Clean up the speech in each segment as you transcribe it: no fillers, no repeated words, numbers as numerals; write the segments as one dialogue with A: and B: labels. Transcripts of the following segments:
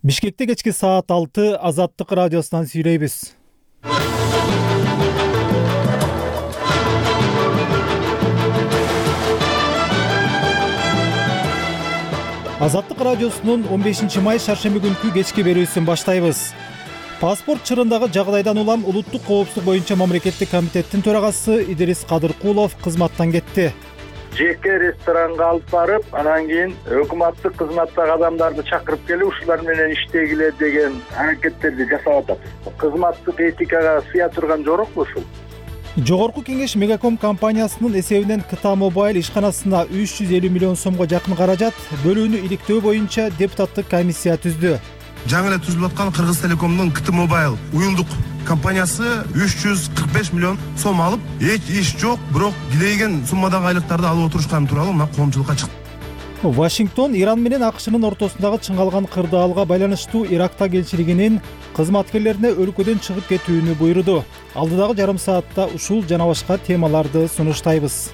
A: Бишкекте кечки саат 6 Азаттык радиосунан сүйлөйбүз. Азаттык радиосунун 15 май шаршемби күнкү кечки берүүсүн баштайбыз. Паспорт чырындагы жагдайдан улам улуттук коопсуздук боюнча мамлекеттик комитеттин төрагасы Идрис Кадыркулов кызматтан кетти.
B: Жеке ресторанга алып барып, анан кийин өкмөттүк кызматтагы адамдарды чакырып келип, ушулар менен иштегиле деген аракеттерди жасап атат. Кызматтык этикага сыя турган жорокпу ушул?
A: Жогорку кеңеш Мегаком компаниясынын эсебинен КТА Мобайл ишканасына 350 миллион сомго жакын каражат бөлүүнү иликтөө боюнча депутаттык комиссия түздү.
C: Жаңы эле түзүлүп аткан Кыргыз Телекомдун КТА Мобайл уюмдук компаниясы 345 миллион сом алып, эч иш жок, бирок дилеген суммадагы айлыктарды алып отурушканы тууралуу мына коомчулукка чыкты.
A: Вашингтон Иран менен АКШнын ортосундагы чыңгалган кырдаалга байланыштуу Иракта элчилигинин кызматкерлерине өлкөдөн чыгып кетүүнү буйруду. Алдыдагы жарым саатта ушул жана башка темаларды сунуштайбыз.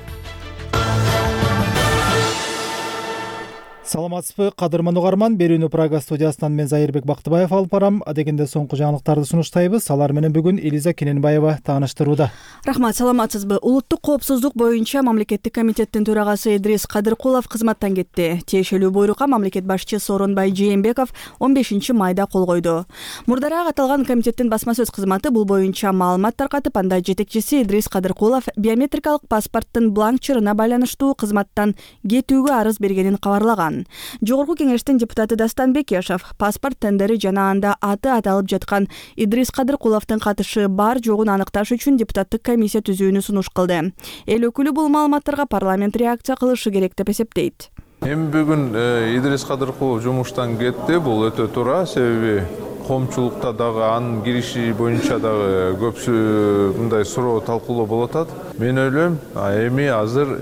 A: Саламатсызбы, кадырман угарман. Берүүнү Прага студиясынан мен Зайырбек Бактыбаев алып барам. Адегенде соңку жаңылыктарды сунуштайбыз. Алар менен бүгүн Элиза Кененбаева тааныштырууда.
D: Рахмат, саламатсызбы. Улуттук коопсуздук боюнча мамлекеттик комитеттин төрагасы Идрис Кадыркулов кызматтан кетти. Тиешелүү буйрукка мамлекет башчысы Сооронбай Жээнбеков 15 майда кол койду. Мурдараак аталган комитеттин басма сөз кызматы бул боюнча маалымат таркатып, анда жетекчиси Идрис Кадыркулов биометрикалык паспорттун бланк чырына байланыштуу кызматтан кетүүгө арыз бергенин кабарлаган. Жогорку кеңештин депутаты Дастан Бекешев паспорт тендери жана анда аты аталып жаткан Идрис Кадыркуловдун катышы бар жогун аныкташ үчүн депутаттык комиссия түзүүнү сунуш кылды. Эл өкүлү бул маалыматтарга парламент реакция кылышы керек деп эсептейт.
E: Эми бүгүн Идрис Кадыркулов жумуштан кетти. Бул өтө туура, себеби коомчулукта дагы анын кириши боюнча дагы көпсү мындай суроо талкуулоо болуп атат. Мен ойлойм, эми азыр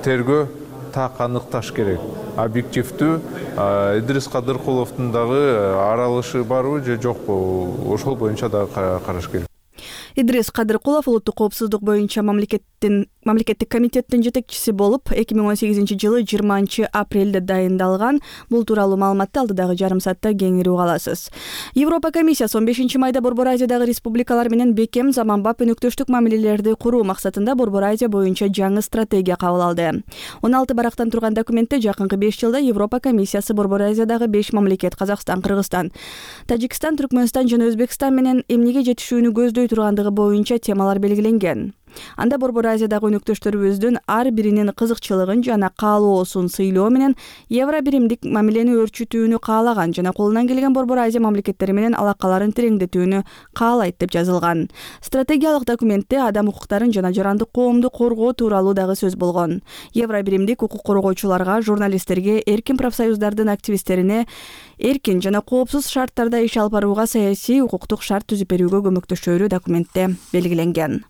E: тергөө так аныкташ керек. Объективдүү Идрис Кадыркуловдун дагы аралышы барбы же жокпу, ошол боюнча дагы караш керек.
D: Идрис Кадыркулов улуттук коопсуздук боюнча мамлекеттик комитеттин жетекчиси болуп 2018-жылы 20-апрелде дайындалган. Бул тууралуу маалыматты алдыдагы жарым саатта кеңири уга аласыз. Европа комиссиясы 15 майда Борбор Азиядагы республикалар менен бекем заманбап өнөктөштүк мамилелерди куруу максатында Борбор Азия боюнча жаңы стратегия кабыл алды. 16 барактан турган документте жакынкы 5 жылда Европа комиссиясы Борбор Азиядагы 5 мамлекет Казакстан, Кыргызстан, Тажикстан, Түркмөнстан жана Өзбекстан менен эмнеге жетишүүнү көздөй тургандыгы боюнча темалар белгиленген. Анда Борбор Азиядагы өнөктөштөрүбүздүн ар биринин кызыкчылыгын жана каалоосун сыйлоо менен евро биримдик мамилени өрчүтүүнү каалаган жана колунан келген Борбор Азия мамлекеттери менен алакаларын тереңдетүүнү каалайт деп жазылган. Стратегиялык документте адам укуктарын жана жарандык коомду коргоо тууралуу дагы сөз болгон. Евро биримдик укук коргоочуларга, журналисттерге, эркин профсоюздардын активисттерине эркин жана коопсуз шарттарда иш алып барууга саясий укуктук шарт түзүп берүүгө көмөктөшөөрү документте белгиленген.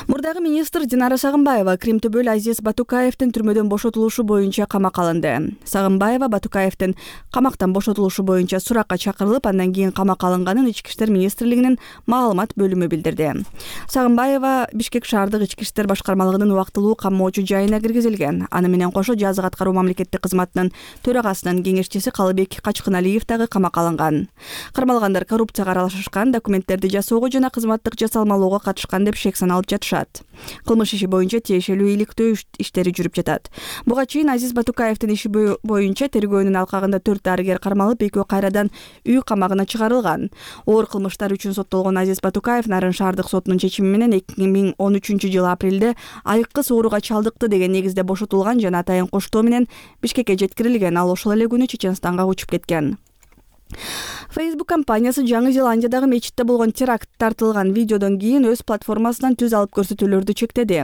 D: Мурдагы министр Динара Сагынбаева Кримтөбөл Азиз Батукаевдин түрмөдөн бошотулушу боюнча камакка алынды. Сагынбаева Батукаевдин камактан бошотулушу боюнча суракка чакырылып, андан кийин камакка алынганын Ички иштер министрлигинин маалымат бөлүмү билдирди. Сагынбаева Бишкек шаардык Ички иштер башкармалыгынын убактылуу камоочу жайына киргизилген. Аны менен кошо жазык аткаруу мамлекеттик кызматынын төрагасынын кеңешчиси Калыбек Качкыналиев дагы камакка алынган. Кармалгандар коррупцияга аралашышкан, документтерди жасоого жана кызматтык жасалмалоого катышкан деп шек саналып жатышат. Кылмыш иши боюнча тиешелүү иликтөө иштери жүрүп жатат. Буга чейин Азиз Батукаевдин иши боюнча тергөөнүн алкагында 4 дарыгер кармалып, 2 кайрадан үй камагына чыгарылган. Оор кылмыштар үчүн соттолгон Азиз Батукаев Нарын шаардык сотунун чечими менен 2013-жылы апрелде айыккыс ооруга чалдыкты деген негизде бошотулган жана атайын коштоо менен Бишкекке жеткирилген. Ал ошол эле күнү Чеченстанга учуп кеткен. Facebook компаниясы Жаңы Зеландиядагы мечитте болгон теракт тартылган видеодон кийин өз платформасынан түз алып көрсөтүүлөрдү чектеди.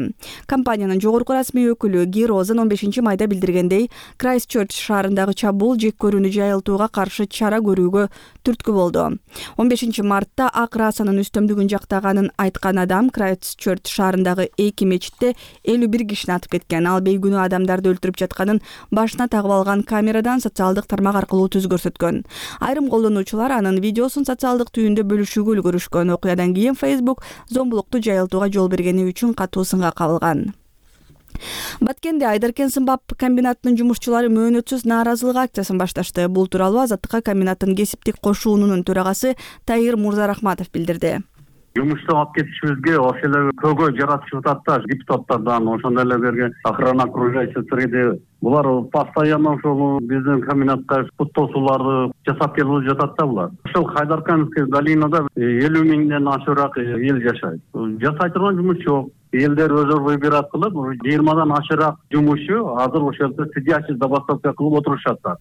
D: Компаниянын жогорку расмий өкүлү Ги Розен 15 майда билдиргендей, Крайстчерч шаарындагы чабуул жек көрүүнү жайылтууга каршы чара көрүүгө түрткү болду. 15 мартта ак расанын үстөмдүгүн жактаганын айткан адам Крайстчерч шаарындагы 2 мечитте 51 кишини атып кеткен. Ал бейгүнөө адамдарды өлтүрүп жатканын башына тагып алган камерадан социалдык тармак аркылуу түз көрсөткөн. Айрым колдонуучулар анын видеосун социалдык түйүндө бөлүшүүгө үлгүрүшкөн. Окуядан кийин Facebook зомбулукту жайылтууга жол бергени үчүн катуу сынга кабылган. Баткенде Айдаркен сымбап комбинатынын жумушчулары мөөнөтсүз нааразылык акциясын башташты. Бул тууралуу Азаттыкка комбинаттын кесиптик кошуунунун төрагасы Таир Мурзарахматов билдирди.
F: Жумуштан алып кетишибизге ошол эле көйгөй жаратышып атат да депутаттардан, ошондой эле берген охрана окружающий булар постоянно ошол биздин комбинатка пут тосууларды жасап келип жатат да булар. Ошол Хайдаркановский долинада 50 миңден ашыраак эл жашайт. Жасай турган жумуш жок. Элдер өзү выбирать кылып, 20дан ашыраак жумушчу азыр ошол жерде сидячий забастовка кылып отурушат.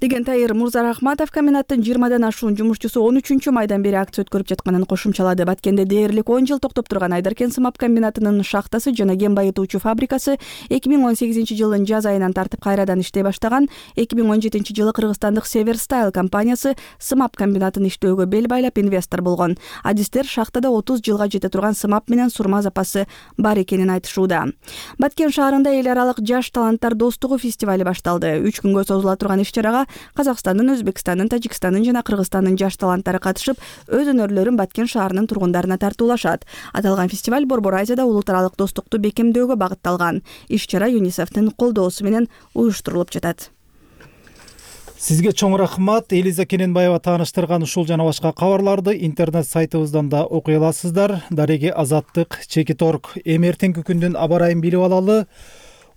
D: Деген Таир Мурзарахматов комбинаттын 20дан ашуун жумушчусу 13 майдан бери акция өткөрүп жатканын кошумчалады. Баткенде дээрлик 10 жыл токтоп турган Айдаркен сымап комбинатынын шахтасы жана кен байытуучу фабрикасы 2018-жылдын жаз айынан тартып кайрадан иштей баштаган. 2017-жылы кыргызстандык Северстайл компаниясы сымап комбинатын иштөөгө бел байлап инвестор болгон. Адистер шахтада 30 жылга жете турган сымап менен сурма запасы бар экенин айтышууда. Баткен шаарында эл аралык жаш таланттар достугу фестивали башталды. 3 күнгө созула турган иш-чарага Казакстандын, Өзбекстандын, Тажикстандын жана Кыргызстандын жаш таланттары катышып, өз өнөрлөрүн Баткен шаарынын тургундарына тартуулашат. Аталган фестиваль Борбор Азияда улуттаралык достукту бекемдөөгө багытталган. Иш-чара ЮНИСЕФтин колдоосу менен уюштурулуп жатат.
A: Сизге чоң рахмат. Элиза Кененбаева тааныштырган ушул жана башка кабарларды интернет сайтыбыздан да окуй аласыздар. Дареги Азаттык, Чекиторг. Эми эртеңки күндүн аба ырайын билип алалы.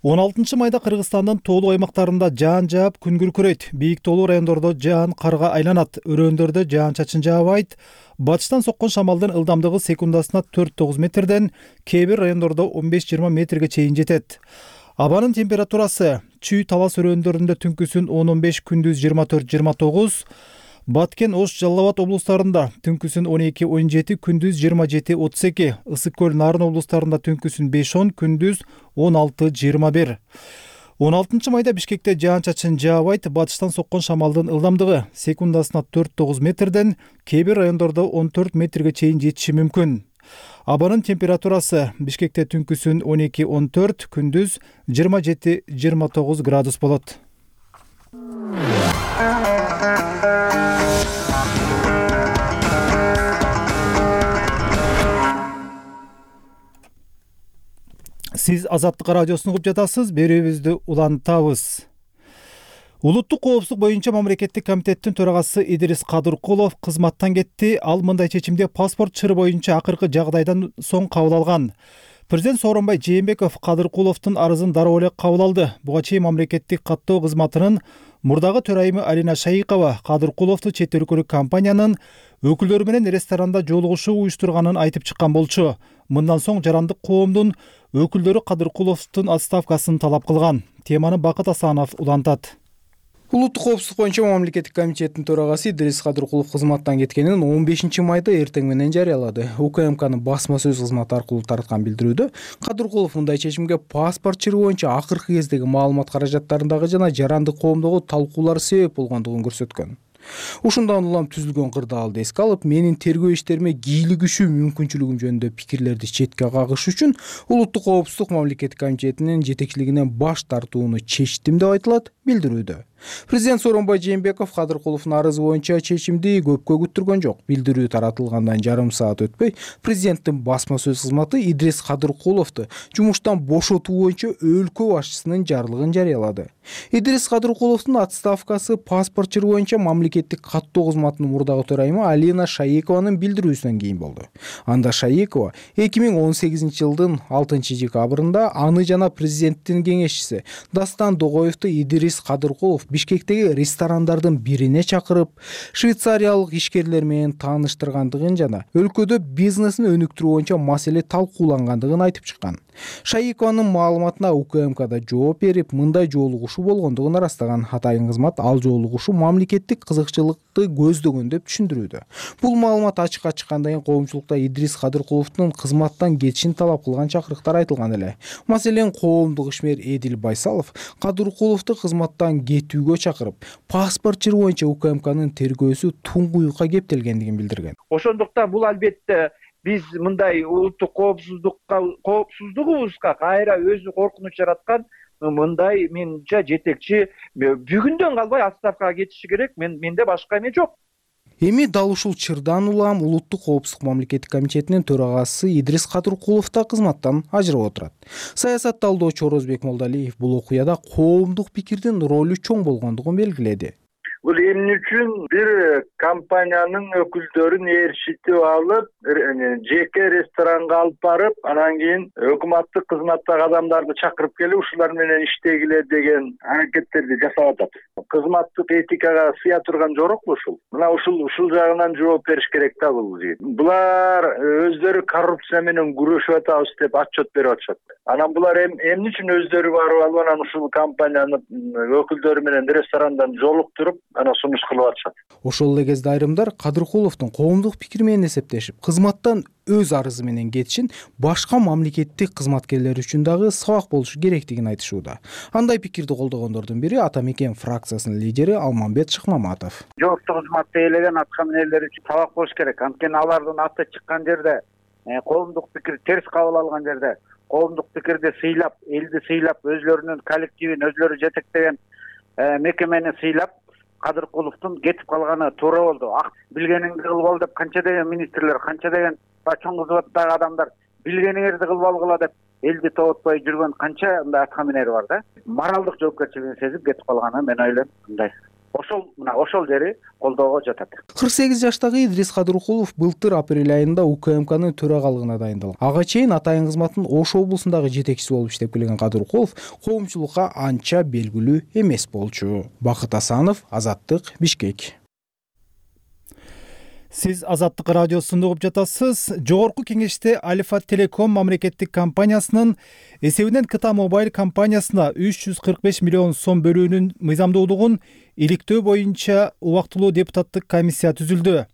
A: 16 майда Кыргызстандын тоолуу аймактарында жаан жаап, күн күркүрөйт. Бийик тоолуу райондордо жаан карга айланат. Өрөөндөрдө жаан-чачын жаабайт. Батыштан соккон шамалдын ылдамдыгы секундасына 4-9 метрден, кээ бир райондордо 15-20 метрге чейин жетет. Абанын температурасы Чүй Талас өрөөндөрүндө түнкүсүн 10-15, күндүз 24-29, Баткен, Ош, Жалал Абад облустарында түнкүсүн 12-17, күндүз 27-32, Ысык көл, Нарын облустарында түнкүсүн 5-10, күндүз 16-21. 16 майда Бишкекте жаан-чачын жаабайт. Батыштан соккон шамалдын ылдамдыгы секундасына 4-9 метрден, кээ бир райондордо 14 метрге чейин жетиши мүмкүн. Абанын температурасы Бишкекте түнкүсүн 12-14, күндүз 27-29 градус болот. Сиз Азаттык радиосун угуп жатасыз. Берүүбүздү улантабыз. Улуттук коопсуздук боюнча мамлекеттик комитеттин төрагасы Идирис Кадыркулов кызматтан кетти. Ал мындай чечимди паспорт чыры боюнча акыркы жагдайдан соң кабыл алган. Президент Сооронбай Жээнбеков Кадыркуловдун арызын дароо эле кабыл алды. Буга чейин мамлекеттик каттоо кызматынын мурдагы төрайымы Алина Шайыкова Кадыркуловду чет өлкөлүк компаниянын өкүлдөрү менен ресторанда жолугушуу уюштурганын айтып чыккан болчу. Мындан соң жарандык коомдун өкүлдөрү Кадыркуловдун отставкасын талап кылган. Теманы Бакыт Асанов улантат.
G: Улуттук коопсуздук боюнча мамлекеттик комитеттин төрагасы Идирис Кадыркулов кызматтан кеткенин 15 майда эртең менен жарыялады. УКМКнын басма сөз кызматы аркылуу тараткан билдирүүдө Кадыркулов мындай чечимге паспорт чыры боюнча акыркы кездеги маалымат каражаттарындагы жана жарандык коомдогу талкуулар себеп болгондугун көрсөткөн. Ушундан улам түзүлгөн кырдаалды эске алып, менин тергөө иштериме кийлигишүү мүмкүнчүлүгүм жөнүндө пикирлерди четке кагыш үчүн Улуттук коопсуздук мамлекеттик комитетинин жетекчилигинен баш тартууну чечтим деп айтылат билдирүүдө. Президент Сооронбай Жээнбеков Кадыркуловдун арызы боюнча чечимди көпкө күттүргөн жок. Билдирүү таратылгандан жарым саат өтпөй, президенттин басма сөз кызматы Идирис Кадыркуловду жумуштан бошотуу боюнча өлкө башчысынын жарлыгын жарыялады. Идирис Кадыркуловдун отставкасы паспорт чыры боюнча мамлекеттик каттоо кызматынын мурдагы төрайымы Алина Шайыкованын билдирүүсүнөн кийин болду. Анда Шайыкова 2018-жылдын 6-декабрында аны жана президенттин кеңешчиси Дастан Догоевду Идирис Кадыркулов Бишкектеги ресторандардын бирине чакырып, швейцариялык ишкерлер менен тааныштыргандыгын жана өлкөдө бизнесин өнүктүрүү боюнча маселе талкуулангандыгын айтып чыккан. Шайыкованын маалыматына УКМКда жооп берип, мындай жолугушуу болгондугун ырастаган. Атайын кызмат ал жолугушуу мамлекеттик кызыкчылыкты көздөгөн деп түшүндүрүүдө. Бул маалымат ачыкка чыккандан кийин коомчулукта Идирис Кадыркуловдун кызматтан кетишин талап кылган чакырыктар айтылган эле. Маселен, коомдук ишмер Эдил Байсалов Кадыркуловду кызматтан кетүүгө чакырып, паспорт чыры боюнча УКМКнын тергөөсү туңгуюкка кептелгендигин билдирген.
B: Ошондуктан бул албетте биз мындай улуттук коопсуздугубузга кайра өзү коркунуч жараткан мындай менимче жетекчи бүгүндөн калбай отставкага кетиши керек. Менде башка эме жок.
G: Эми дал ушул чырдан улам улуттук коопсуздук мамлекеттик комитетинин төрагасы Идрис Кадыркулов да кызматтан ажырап отурат. Саясат талдоочу Орозбек Молдалиев бул окуяда коомдук пикирдин ролу чоң болгондугун белгиледи.
B: Бул эмне үчүн бир компаниянын өкүлдөрүн ээрчитип алып, жеке ресторанга алып барып, анан кийин өкмөттүк кызматтагы адамдарды чакырып келип, ушулар менен иштегиле деген аракеттерди жасап атат. Кызматтык этикага сыя турган жорокпу ушул? Мына ушул жагынан жооп бериш керек да бул жигит. Булар өздөрү коррупция менен күрөшүп атабыз деп отчет берип атышат. Анан булар эмне үчүн өздөрү барып алып, анан ушул компаниянын өкүлдөрү менен ресторандан жолуктуруп, анан сунуш кылып атышат.
G: Ошол эле кезде айрымдар Кадыркуловдун коомдук пикири менен эсептешип, кызматтан өз арызы менен кетишин башка мамлекеттик кызматкерлер үчүн дагы сабак болушу керектигин айтышууда. Андай пикирди колдогондордун бири Ата Мекен фракциясынын лидери Алмамбет Шыкмаматов.
H: Жооптук кызматты ээлеген аткаминерлер үчүн сабак болуш керек. Анткени алардын аты чыккан жерде, коомдук пикир терс кабыл алган жерде, коомдук пикирди сыйлап, элди сыйлап, өзлөрүнүн коллективин өзлөрү жетектеген мекемени сыйлап, Кадыркуловдун кетип калганы туура болду. Билгениңди кылып ал деп канча деген министрлер, канча деген чоң кызматтагы адамдар билгениңерди кылып алгыла деп элди тоотпой жүргөн канча мындай аткаминер бар да. Моралдык жоопкерчилигин сезип кетип калганы мен ойлойм мындай. Ошол жери колдоого жатат.
G: 48 жаштагы Идрис Кадыркулов былтыр апрель айында УКМКнын төрагалыгына дайындалган. Ага чейин Атайын кызматтын Ош облусундагы жетекчиси болуп иштеп келген Кадыркулов коомчулукка анча белгилүү эмес болчу. Бакыт Асанов, Азаттык, Бишкек.
A: Сиз Азаттык радиосунда угуп жатасыз. Жогорку кеңеште Альфа Телеком мамлекеттик компаниясынын эсебинен Кыта Мобайл компаниясына 345 миллион сом бөлүүнүн мыйзамдуулугун иликтөө боюнча убактылуу депутаттык комиссия түзүлдү.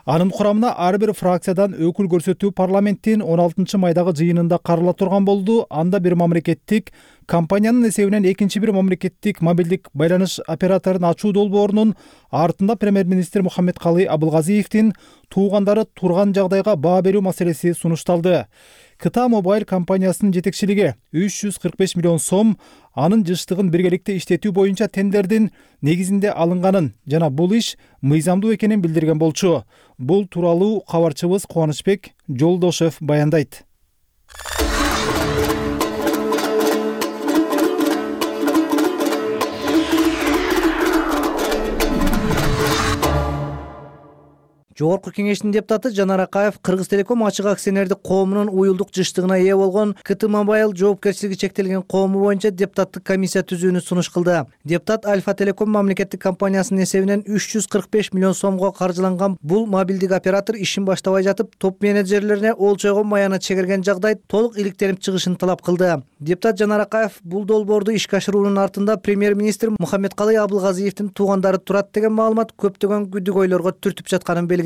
A: Анын курамына ар бир фракциядан өкүл көрсөтүү парламенттин 16 майдагы жыйынында карала турган болду. Анда бир мамлекеттик компаниянын эсебинен экинчи бир мамлекеттик мобилдик байланыш операторун ачуу долбоорунун артында премьер-министр Мухаммедкалый Абылгазиевдин туугандары турган жагдайга баа берүү маселеси сунушталды. Кыта Мобайл компаниясынын жетекчилиги 345 миллион сом анын жыштыгын биргеликте иштетүү боюнча тендердин негизинде алынганын жана бул иш мыйзамдуу экенин билдирген болчу. Бул тууралуу кабарчыбыз Кубанычбек Жолдошев баяндайт.
I: Жогорку кеңештин депутаты Жанар Акаев Кыргыз Телеком ачык акционердик коомунун уюлдук жыштыгына ээ болгон КТ Мобайл жоопкерчилиги чектелген коому боюнча депутаттык комиссия түзүүнү сунуш кылды. Депутат Альфа Телеком мамлекеттик компаниясынын эсебинен 345 миллион сомго каржыланган бул мобилдик оператор ишин баштабай жатып, топ менеджерлерине олчойгон маянат чегерген жагдай толук иликтенип чыгышын талап кылды. Депутат Жанар Акаев бул долбоорду ишке ашыруунун артында премьер-министр Мухаммедкалый Абылгазиевдин туугандары турат деген маалымат көптөгөн күдүгөйлөргө түртүп жатканын белгиледи.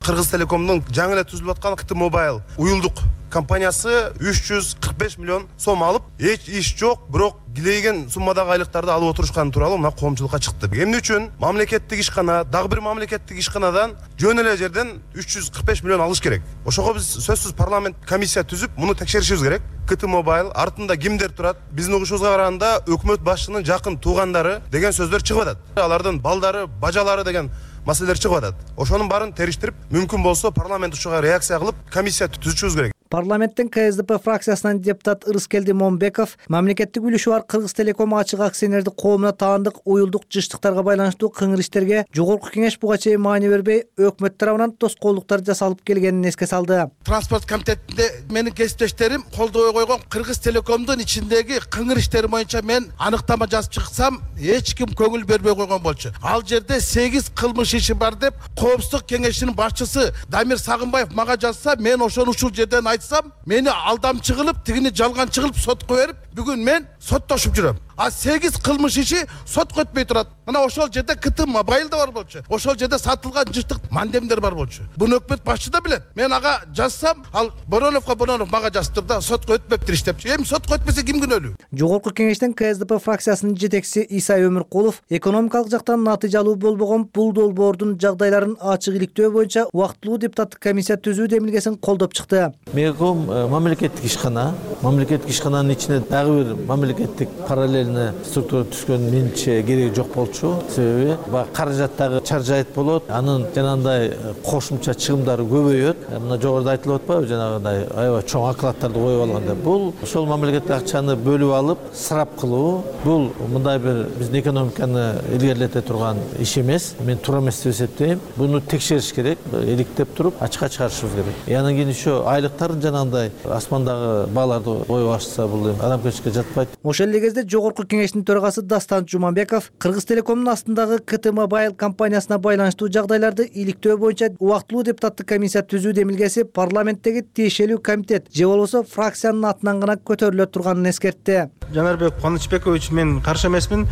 C: Кыргыз Телекомдун жаңы эле түзүлүп аткан КТ Мобайл уюлдук компаниясы 345 миллион сом алып, эч иш жок, бирок килейген суммадагы айлыктарды алып отурушканы тууралуу мына коомчулукка чыкты. Эмне үчүн мамлекеттик ишкана, дагы бир мамлекеттик ишканадан жөн эле жерден 345 миллион алыш керек. Ошого биз сөзсүз парламент комиссия түзүп, муну текшеришибиз керек. КТ Мобайл артында кимдер турат? Биздин угушубузга караганда өкмөт башчынын жакын туугандары деген сөздөр чыгып атат. Алардын балдары, бажалары деген маселелер чыгып атат. Ошонун баарын териштирип, мүмкүн болсо парламент ушуга реакция кылып, комиссия түзүшүбүз керек.
I: Парламенттин КСДП фракциясынан депутат Ырыскелди Момбеков мамлекеттик үлүшү бар Кыргыз Телеком ачык акционердик коомуна таандык уюлдук жыштыктарга байланыштуу кыңыр иштерге жогорку кеңеш буга чейин маани бербей, өкмөт тарабынан тоскоолдуктар жасалып келгенин эске салды.
J: Транспорт комитетинде менин кесиптештерим колдобой койгон Кыргыз Телекомдун ичиндеги кыңыр иштери боюнча мен аныктама жазып чыксам, эч ким көңүл бербей койгон болчу. Ал жерде 8 кылмыш иши бар деп коопсуздук кеңешинин башчысы Дамир Сагынбаев мага жазса, мен ошону ушул жерден айтсам, мени алдамчы кылып, тигини жалганчы кылып сотко берип, бүгүн мен соттошуп жүрөм. А 8 кылмыш иши сотко өтпөй турат. Мына ошол жерде КТ Мобайл да бар болчу. Ошол жерде сатылган жыштык мандемдер бар болчу. Буну өкмөт башчы да билет. Мен ага жазсам, ал Боронов мага жазып турду да сотко өтпөптүр иштеп. Эми сотко өтпөсө ким күнөөлүү?
I: Жогорку кеңештен КСДП фракциясынын жетекчиси Исай Өмүркулов экономикалык жактан натыйжалуу болбогон бул долбоордун жагдайларын ачык иликтөө боюнча убактылуу депутаттык комиссия түзүү демилгесин колдоп чыкты.
K: Мегаком мамлекеттик ишкана, мамлекеттик ишкананын ичинде дагы бир мамлекеттик параллельный структура түзгөн менимче кереги жок болчу. Себеби баягы каражаттагы чаржайыт болот, анын жанагындай кошумча чыгымдары көбөйөт. Мына жогоруда айтылып атпайбы, жанагындай аябай чоң окладдарды коюп алганда. Бул ошол мамлекеттик акчаны бөлүп алып, сарап кылуу, бул мындай бир биздин экономиканы илгерилете турган иш эмес. Мен туура эмес деп эсептейм. Буну текшериш керек, иликтеп туруп ачыкка чыгарышыбыз керек. Анан кийин еще айлыктарын жанагындай асмандагы бааларды коюп ашса, бул адамгерчиликке жатпайт.
I: Ошол эле кезде Жогорку кеңештин төрагасы Дастан Жуманбеков Кыргыз Телекомдун астындагы КТ Mobile компаниясына байланыштуу жагдайларды иликтөө боюнча убактылуу депутаттык комиссия түзүү демилгеси парламенттеги тиешелүү комитет же болбосо фракциянын атынан гана көтөрүлө турганын эскертти.
L: Жанарбек Кубанычбекович, мен каршы эмесмин.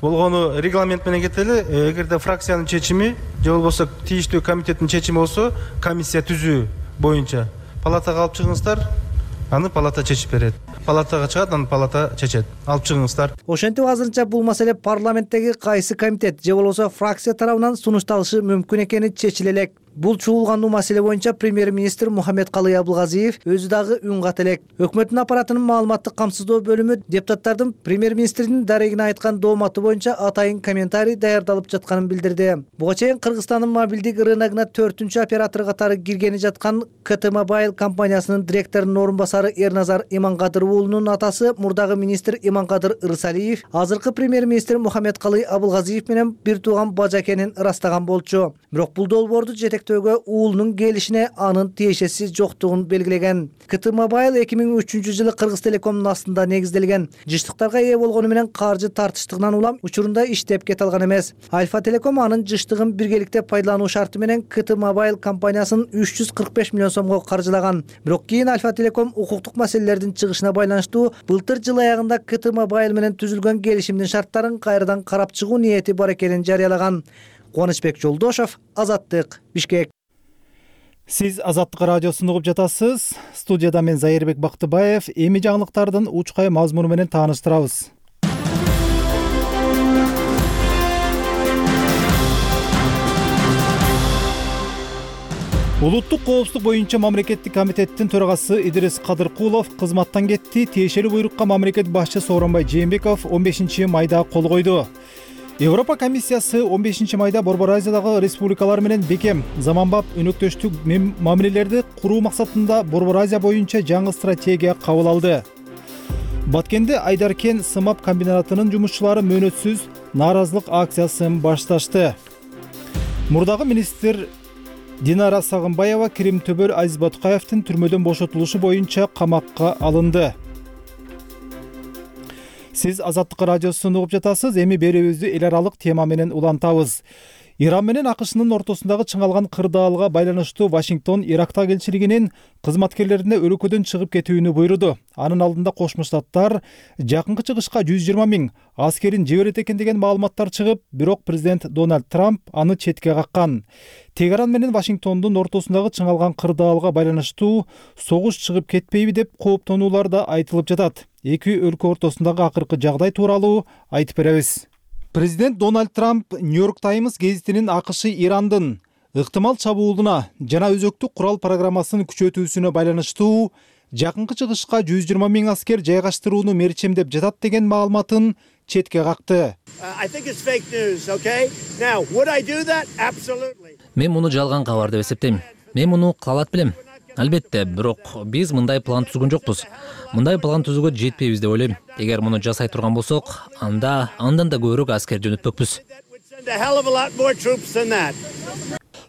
L: Болгону регламент менен кетели. Эгерде фракциянын чечими же болбосо тийиштүү комитеттин чечими болсо, комиссия түзүү боюнча палатага алып чыгыңыздар, аны палата чечип берет. Палатага чыгат, аны палата чечет. Алып чыгыңыздар.
I: Ошентип азырынча бул маселе парламенттеги кайсы комитет же болбосо фракция тарабынан сунушталышы мүмкүн экени чечиле элек. Бул чуулгандуу маселе боюнча премьер-министр Мухаммедкалый Абылгазиев өзү дагы үн ката элек. Өкмөттүн аппаратынын маалыматтык камсыздоо бөлүмү депутаттардын премьер-министрдин дарегине айткан дооматы боюнча атайын комментарий даярдалып жатканын билдирди. Буга чейин Кыргызстандын мобилдик рыногуна 4-чү оператор катары киргени жаткан КТ Mobile компаниясынын директорунун орун басары Эрназар Иманкадыр уулунун атасы мурдагы министр Иманкадыр Ырсалиев азыркы премьер-министр Мухаммедкалый Абылгазиев менен бир тууган бажа экенин ырастаган болчу. Бирок бул долбоорду жетектөөгө уулунун келишине анын тиешеси жоктугун белгилеген. КТ Mobile 2003 жылы Кыргыз Телекомдун астында негизделген. Жыштыктарга ээ болгону менен каржы тартыштыгынан улам учурунда иштеп кете алган эмес. Альфа Телеком анын жыштыгын биргеликте пайдалануу шарты менен КТ Mobile компаниясын 345 миллион сомго каржылаган. Бирок кийин Альфа Телеком укуктук маселелердин чыгышына байланыштуу былтыр жыл аягында КТ Mobile менен түзүлгөн келишимдин шарттарын кайрадан карап чыгуу ниети бар экенин жарыялаган. Кубанычбек Жолдошов, Азаттык, Бишкек.
A: Сиз Азаттык радиосун угуп жатасыз. Студияда мен Зайырбек Бактыбаев. Эми жаңылыктардын учкай мазмуну менен тааныштырабыз. Улуттук коопсуздук боюнча мамлекеттик комитеттин төрагасы Идирис Кадыркулов кызматтан кетти. Тиешелүү буйрукка мамлекет башчы Сооронбай Жээнбеков 15 майда кол койду. Европа комиссиясы 15 майда Борбор Азиядагы республикалар менен бекем, заманбап өнөктөштүк мамилелерди куруу максатында Борбор Азия боюнча жаңы стратегия кабыл алды. Баткенде Айдаркен сымап комбинатынын жумушчулары мөөнөтсүз нааразылык акциясын башташты. Мурдагы министр Динара Сагынбаева Крим төбөр Азиз Батукаевдин түрмөдөн бошотулушу боюнча камакка алынды. Сиз Азаттык радиосун угуп жатасыз. Эми берүүбүздү эл аралык тема менен улантабыз. Иран менен АКШнын ортосундагы чыңалган кырдаалга байланыштуу Вашингтон Иракта элчилигинин кызматкерлерине өлкөдөн чыгып кетүүнү буйруду. Анын алдында Кошмо Штаттар жакынкы чыгышка 120 миң аскерин жиберет экен деген маалыматтар чыгып, бирок президент Дональд Трамп аны четке каккан. Тегеран менен Вашингтондун ортосундагы чыңалган кырдаалга байланыштуу согуш чыгып кетпейби деп кооптонуулар да айтылып жатат. Эки өлкө ортосундагы акыркы жагдай тууралуу айтып беребиз. Президент Дональд Трамп Нью-Йорк Таймс гезитинин АКШ Ирандын ыктымал чабуулуна жана өзөктүк курал программасын күчөтүүсүнө байланыштуу жакынкы чыгышка 120 миң аскер жайгаштырууну мерчемдеп жатат деген маалыматын четке какты.
M: Мен муну жалган кабар деп эсептейм. Мен муну кылалат белем. Албетте, бирок биз мындай план түзгөн жокпуз. Мындай план түзүүгө жетпейбиз деп ойлойм. Эгер муну жасай турган болсок, андан да көбүрөөк аскер жөнөтпөкпүз.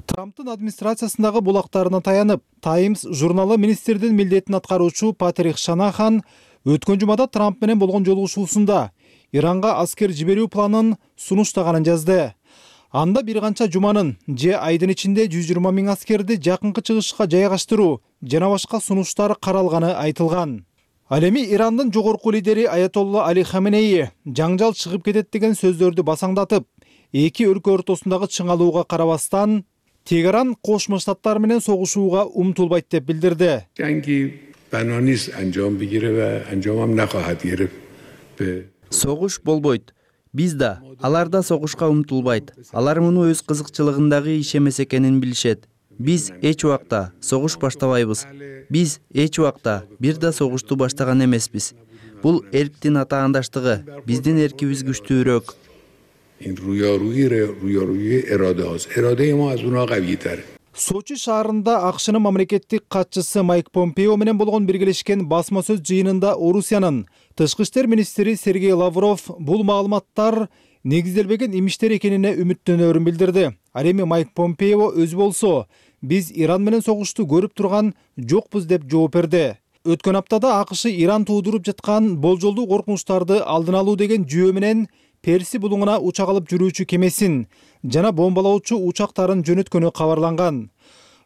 A: Трамптын администрациясындагы булактарына таянып, Таймс журналы министрдин милдетин аткаруучу Патрик Шанахан өткөн жумада Трамп менен болгон жолугушуусунда Иранга аскер жиберүү планын сунуштаганын жазды. Анда бир канча жуманын же айдын ичинде 120 миң аскерди жакынкы чыгышка жайгаштыруу жана башка сунуштар каралганы айтылган. Ал эми Ирандын жогорку лидери Аятолла Али Хаменеи жаңжал чыгып кетет деген сөздөрдү басаңдатып, эки өлкө ортосундагы чыңалууга карабастан Тегеран Кошмо Штаттар менен согушууга умтулбайт деп билдирди.
N: Согуш болбойт. Биз да, алар да согушка умтулбайт. Алар муну өз кызыкчылыгындагы иш эмес экенин билишет. Биз эч убакта согуш баштабайбыз. Биз эч убакта бир да согушту баштаган эмеспиз. Бул эрктин атаандаштыгы. Биздин эркибиз күчтүүрөөк.
A: Сочи шаарында АКШнын мамлекеттик катчысы Майк Помпео менен болгон биргелешкен басма сөз жыйынында Орусиянын тышкы иштер министри Сергей Лавров бул маалыматтар негизделбеген имиштер экенине үмүттөнөрүн билдирди. Ал эми Майк Помпео өзү болсо биз Иран менен согушту көрүп турган жокпуз деп жооп берди. Өткөн аптада АКШ Иран туудуруп жаткан болжолдуу коркунучтарды алдын алуу деген жүйө менен Перси булуңуна учак алып жүрүүчү кемесин жана бомбалоочу учактарын жөнөткөнү кабарланган.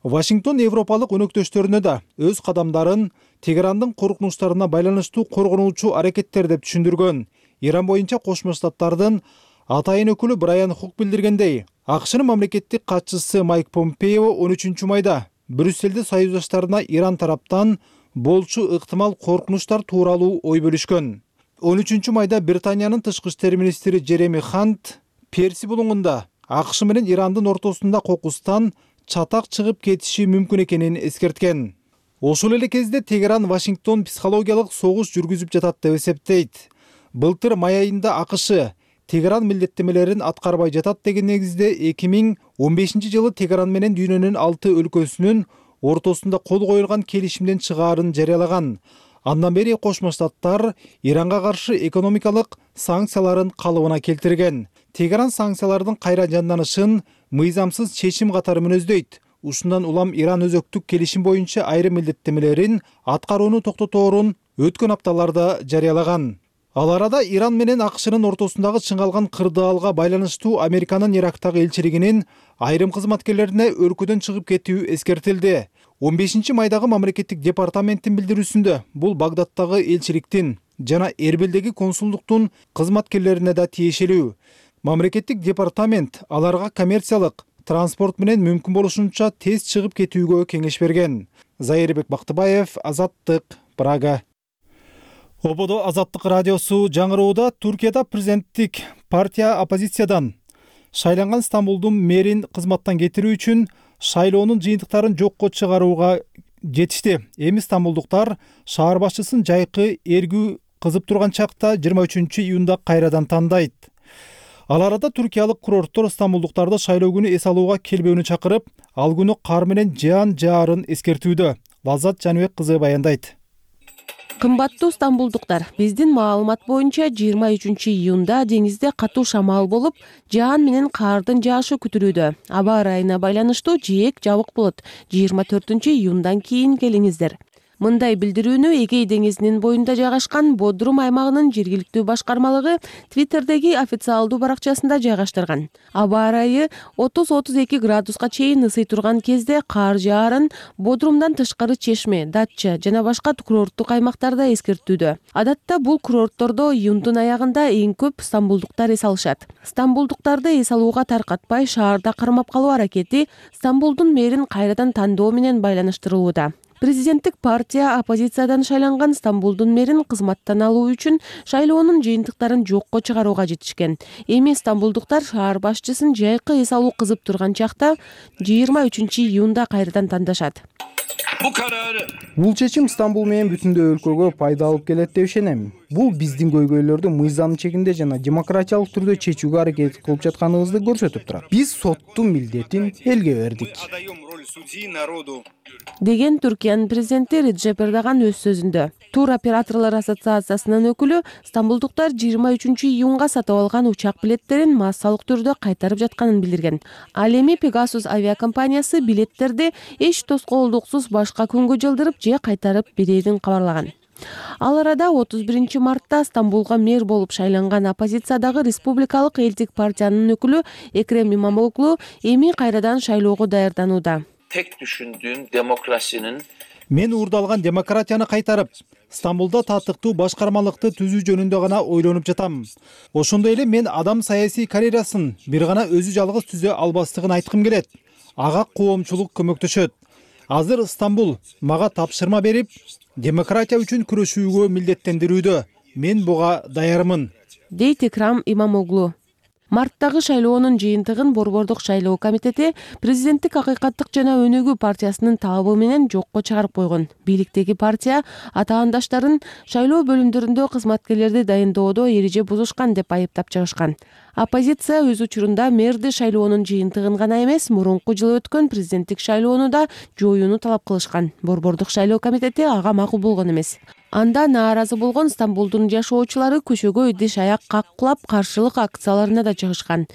A: Вашингтон европалык өнөктөштөрүнө да өз кадамдарын Тегерандын коркунучтарына байланыштуу коргонуучу аракеттер деп түшүндүргөн. Иран боюнча Кошмо Штаттардын атайын өкүлү Брайан Хук билдиргендей, АКШнын мамлекеттик катчысы Майк Помпео 13 майда Брюсселде союздаштарына Иран тараптан болчу ыктымал коркунучтар тууралуу ой бөлүшкөн. 13 майда Британиянын тышкы иштер министри Джереми Хант Перси булуңунда АКШ менен Ирандын ортосунда кокустан чатак чыгып кетиши мүмкүн экенин эскерткен. Ошол эле кезде Тегеран Вашингтон психологиялык согуш жүргүзүп жатат деп эсептейт. Былтыр май айында АКШ Тегеран милдеттемелерин аткарбай жатат деген негизде 2015 жылы Тегеран менен дүйнөнүн 6 өлкөсүнүн ортосунда кол коюлган келишимден чыгаарын жарыялаган. Андан бери Кошмо Штаттар Иранга каршы экономикалык санкцияларын калыбына келтирген. Тегеран санкциялардын кайра жанданышын мыйзамсыз чечим катары мүнөздөйт. Ушундан улам Иран өзөктүк келишим боюнча айрым милдеттемелерин аткарууну токтоторун өткөн апталарда жарыялаган. Ал арада Иран менен АКШнын ортосундагы чыңгалган кырдаалга байланыштуу Американын Ирактагы элчилигинин айрым кызматкерлерине өлкөдөн чыгып кетүү эскертилди. 15 майдагы мамлекеттик департаменттин билдирүүсүндө бул Багдадтагы элчиликтин жана Эрбилдеги консулдуктун кызматкерлерине да тиешелүү. Мамлекеттик департамент аларга коммерциялык транспорт менен мүмкүн болушунча тез чыгып кетүүгө кеңеш берген. Зайырбек Бактыбаев, Азаттык, Прага. Ободо Азаттык радиосу жаңырууда Туркияда президенттик партия оппозициядан шайланган Стамбулдун мэрин кызматтан кетирүү үчүн шайлоонун жыйынтыктарын жокко чыгарууга жетишти. Эми стамбулдуктар шаар башчысын жайкы эргүү кызып турган чакта 23 июнда кайрадан тандайт. Ал арада туркиялык курорттор стамбулдуктарды шайлоо күнү эс алууга келбөөнү чакырып, ал күнү кар менен жаан жаарын эскертүүдө. Лаззат Жаныбек кызы баяндайт.
O: Кымбаттуу стамбулдуктар, биздин маалымат боюнча 23 июнда деңизде катуу шамал болуп, жаан менен кардын жаашы күтүлүүдө. Аба ырайына байланыштуу жээк жабык болот. 24 июндан кийин келиңиздер. Мындай билдирүүнү Эгей деңизинин боюнда жайгашкан Бодрум аймагынын жергиликтүү башкармалыгы Твиттердеги официалдуу баракчасында жайгаштырган. Аба ырайы 30-32 градуска чейин ысый турган кезде кар жаарын Бодрумдан тышкары Чешме, Датча жана башка курорттук аймактарда эскертүүдө. Адатта бул курорттордо июндун аягында эң көп стамбулдуктар эс алышат. Стамбулдуктарды эс алууга таркатпай шаарда кармап калуу аракети Стамбулдун мэрин кайрадан тандоо менен байланыштырылууда. Президенттик партия оппозициядан шайланган Стамбулдун мэрин кызматтан алуу үчүн шайлоонун жыйынтыктарын жокко чыгарууга жетишкен. Эми стамбулдуктар шаар башчысын жайкы эс алуу кызып турган чакта 23 июнда кайрадан тандашат.
G: Бул чечим Стамбул менен бүтүндөй өлкөгө пайда алып келет деп ишенем. Бул биздин көйгөйлөрдү мыйзамдын чегинде жана демократиялык түрдө чечүүгө аракет кылып жатканыбызды көрсөтүп турат. Биз соттун милдетин элге бердик.
O: Деген Түркиянын президенти Реджеп Эрдоган өз сөзүндө. Тур операторлор ассоциациясынын өкүлү стамбулдуктар 23 июнга сатып алган учак билеттерин массалык түрдө кайтарып жатканын билдирген. Ал эми Pegasus авиакомпаниясы билеттерди эч тоскоолдуксуз башка күнгө жылдырып же кайтарып берерин кабарлаган. Ал арада 31 мартта Стамбулга мэр болуп шайланган оппозициядагы Республикалык элдик партиянын өкүлү Экрем Имамоглу эми кайрадан шайлоого даярданууда.
P: Tek düşündüğüm demokrasinin
A: Мен уурдалган демократияны кайтарып, Стамбулда татыктуу башкармалыкты түзүү жөнүндө гана ойлонуп жатам. Ошондой эле мен адам саясий карьерасын бир гана өзү жалгыз түзө албастыгын айткым келет. Ага коомчулук көмөктөшөт. Азыр Стамбул мага тапшырма берип, демократия үчүн күрөшүүгө милдеттендирүүдө. Мен буга даярмын,
O: дейт Экрам Имамоглу. Марттагы шайлоонун жыйынтыгын Борбордук шайлоо комитети президенттик Акыйкаттык жана Өнүгүү партиясынын талабы менен жокко чыгарып койгон. Бийликтеги партия атаандаштарын шайлоо бөлүмдөрүндө кызматкерлерди дайындоодо эреже бузушкан деп айыптап чыгышкан. Оппозиция өз учурунда мэрди шайлоонун жыйынтыгын гана эмес, мурунку жылы өткөн президенттик шайлоону да жоюуну талап кылышкан. Борбордук шайлоо комитети ага макул болгон эмес. Анда нааразы болгон Стамбулдун жашоочулары көчөгө идиш аяк каккылап каршылык акцияларына да чыгышкан.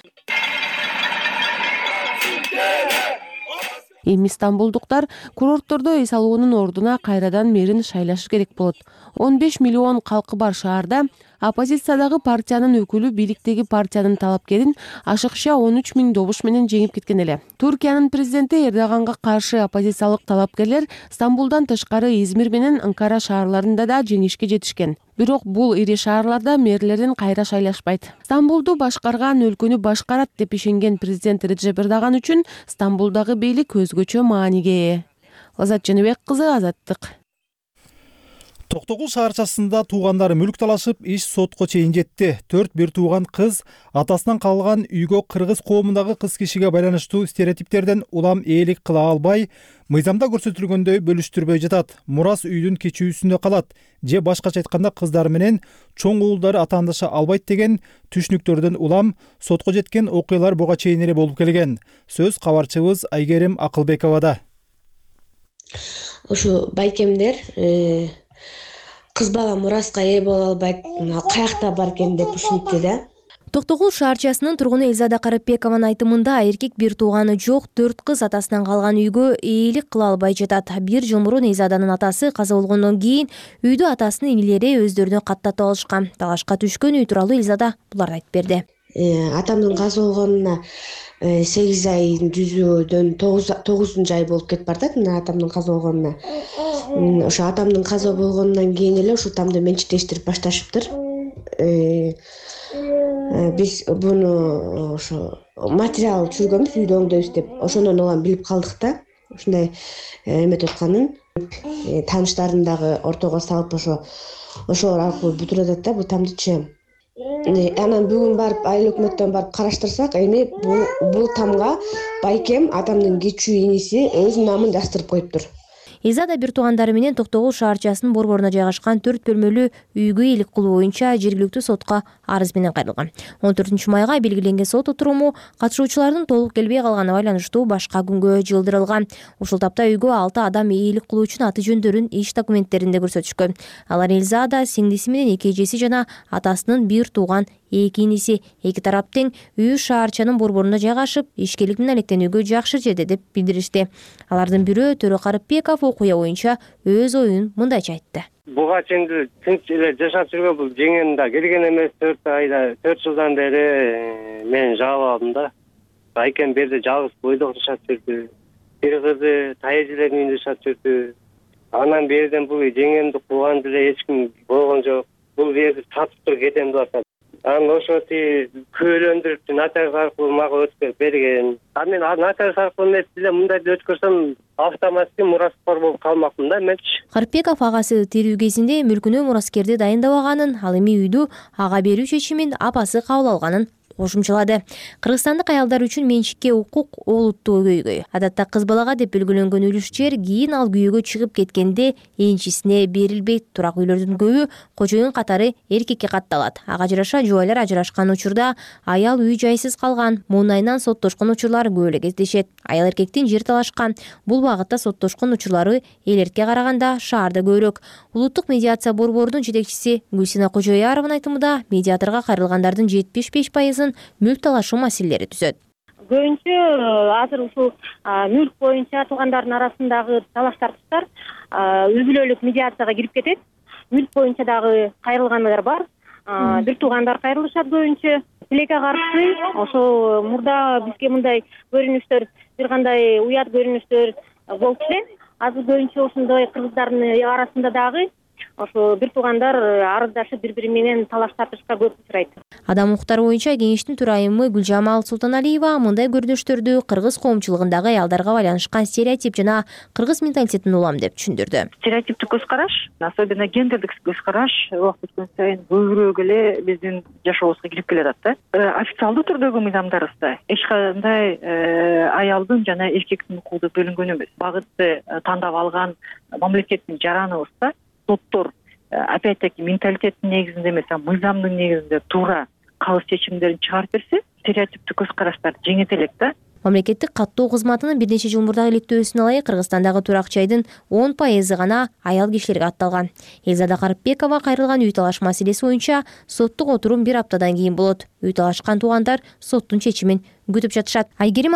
O: Эми стамбулдуктар курорттордо эс алуунун ордуна кайрадан мэрин шайлашы керек болот. 15 миллион калкы бар шаарда оппозициядагы партиянын өкүлү бийликтеги партиянын талапкерин ашыкча 13 000 добуш менен жеңип кеткен эле. Туркиянын президенти Эрдоганга каршы оппозициялык талапкерлер Стамбулдан тышкары Измир менен Анкара шаарларында да жеңишке жетишкен. Бирок бул ири шаарларда мэрлердин кайра шайлашпайт. Стамбулду башкарган өлкөнү башкарат деп ишенген президент Реджеп Эрдоган үчүн Стамбулдагы бийлик өзгөчө мааниге ээ. Лазат Жаныбек кызы, Азаттык.
A: Токтогул шаарчасында туугандары мүлк талашып, иш сотко чейин жетти. 4 бир тууган кыз атасынан калган үйгө кыргыз коомундагы кыз кишиге байланыштуу стереотиптерден улам ээлик кыла албай, мыйзамда көрсөтүлгөндөй бөлүштүрбөй жатат. Мурас үйдүн кечүүсүндө калат же башкача айтканда кыздары менен чоң уулдары атаандаша албайт деген түшүнүктөрдөн улам сотко жеткен окуялар буга чейин эле болуп келген. Сөз кабарчыбыз Айгерим Акылбековада.
Q: Ушу байкемдер кыз бала мураска ээ боло албайт, каякта бар экен деп түшүнүптү да.
R: Токтогул шаарчасынын тургуну Элзада Карапбекованын айтымында эркек бир тууганы жок 4 кыз атасынан калган үйгө ээлик кыла албай жатат. 1 жыл мурун Элзаданын атасы каза болгондон кийин үйдү атасынын инилери өздөрүнө каттатып алышкан. Талашка түшкөн үй тууралуу Элзада буларды айтып берди.
Q: Атамдын каза болгонуна 8 айдын жүзүүдөн 9 ай болуп кетип бардат. Мына атамдын каза болгонуна. Ошо атамдын каза болгондон кийин эле ушул тамды менчиктештирип башташыптыр. Биз буну ошо материал түшүргөнбүз, үйдө оңдойбуз деп. Ошондон улам билип калдык да. Ушундай эметип атканын тааныштарын дагы ортого салып ошол аркылуу бүтүрүп атат да бул тамдычы. Анан бүгүн барып айыл өкмөттөн барып караштырсак, эми бул тамга байкем атамдын кечүү иниси өз намын жаздырып коюптур.
R: Элзада бир туугандары менен Токтогул шаарчасынын борборуна жайгашкан 4 бөлмөлүү үйгө ээлик кылуу боюнча жергиликтүү сотко арыз менен кайрылган. 14 майга белгиленген сот отуруму катышуучулардын толук келбей калганына байланыштуу башка күнгө жылдырылган. Ушул тапта үйгө 6 адам ээлик кылуу үчүн аты жөндөрүн иш документтеринде көрсөтүшкөн. Алар Элзада, сиңдиси менен 2 эжеси жана атасынын бир тууган 2 иниси. Эки тарап тең үй шаарчанын борборуна жайгашып, ишкерлик менен алектенүүгө жакшы жерде деп билдиришти. Алардын бирөө Төрө Карыпбеков окуя боюнча өз оюн мындайча айтты.
S: Буга чейин тынч эле жашап жүргөн бул жеңем да келген эмес. 4 жылдан бери мен жаап алдым да. Байкем берде жалгыз бойдок жашап жүрдү. Бир кызы тайэжелердин үйүндө жашап жүрдү. Анан берден бул жеңемди кууган деле эч ким болгон жок. Бул жерди сатып туруп кетем деп атат. Анан ошо күбөлөндүрүп нотариус аркылуу мага өткөрүп берген. Мен нотариус аркылуу эмес эле мындай өткөрсөм автоматик мураскор болуп калмакмын да менчи.
R: Карыпбеков агасы тирүү кезинде мүлкүнө мураскерди дайындабаганын, ал эми үйдү ага берүү чечимин апасы кабыл алганын кошумчалады. Кыргызстандык аялдар үчүн менчикке укук олуттуу көйгөй. Адатта кыз балага деп белгиленген үлүш жер кийин ал күйөөгө чыгып кеткенде энчисине берилбейт. Турак үйлөрдүн көбү кожоюн катары эркекке катталат. Ага жараша жубайлар ажырашкан учурда аял үй жайсыз калган, муунайынан соттошкон учурлар көп эле кездешет. Аял эркектин жер талашкан. Бул багытта соттошкон учурлары элерке караганда шаарда көбүрөөк. Улуттук медиация борборунун жетекчиси Гүлсина Кожоярованын айтымында медиаторго кайрылгандардын 75% мүлк талашуу маселелери түзөт.
T: Көбүнчө азыр ушул мүлк боюнча туугандардын арасындагы талаш тартыштар үй бүлөлүк медиацияга кирип кетет. Мүлк боюнча дагы кайрылгандар бар. Бир туугандар кайрылышат көбүнчө. Тилекке каршы ошол мурда бизге мындай көрүнүштөр, бир кандай уят көрүнүштөр болчу эле. Азыр көбүнчө ошондой кыргыздардын арасында дагы ошо бир туугандар арыздашып бири бири менен талаш тартышка көп учурайт.
R: Адам укуктары боюнча кеңештин төрайымы Гүлжамал Султаналиева мындай көрүнүштөрдү кыргыз коомчулугундагы аялдарга байланышкан стереотип жана кыргыз менталитетин улам деп түшүндүрдү.
U: Стереотиптик көз караш, особенно гендердик көз караш убакыт өткөн сайын көбүрөөк эле биздин жашообузга кирип келатат да. Официалдуу түрдөгү мыйзамдарыбызда эч кандай аялдын жана эркектин укугу бөлүнгөн эмес. Багытты тандап алган мамлекеттин жараныбызда соттор опять-таки менталитеттин негизинде эмес, мыйзамдын негизинде туура кабыл чечимдерин чыгарып берсе, стереотиптик көз караштарды жеңет элек да.
R: Мамлекеттик каттоо кызматынын бир нече жыл мурдагы иликтөөсүнө ылайык Кыргызстандагы турак жайдын 10% гана аял кишилерге атталган. Элзада Карыпбекова кайрылган үй талаш маселеси боюнча соттук отурум 1 аптадан кийин болот. Үй талашкан туугандар соттун чечимин күтүп жатышат. Айгерим